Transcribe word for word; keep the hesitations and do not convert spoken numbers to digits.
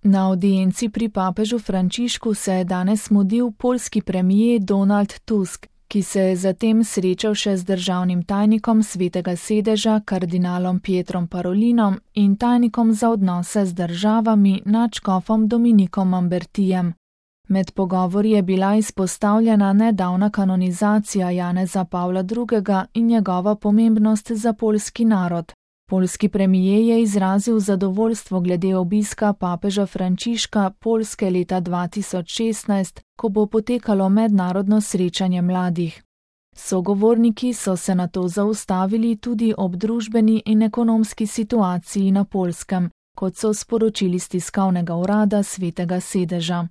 Na avdienci pri papežu Frančišku se je danes mudil poljski premijer Donald Tusk, ki se je zatem srečal še z državnim tajnikom Svetega sedeža kardinalom Pietrom Parolinom in tajnikom za odnose z državami nadškofom Dominikom Mambertijem. Med pogovori je bila izpostavljena nedavna kanonizacija Janeza Pavla drugega in njegova pomembnost za poljski narod. Poljski premijer je izrazil zadovoljstvo glede obiska papeža Frančiška Poljske leta dva tisoč šestnajst, ko bo potekalo mednarodno srečanje mladih. Sogovorniki so se nato zaustavili tudi ob družbeni in ekonomski situaciji na Poljskem, kot so sporočili s tiskovnega urada Svetega sedeža.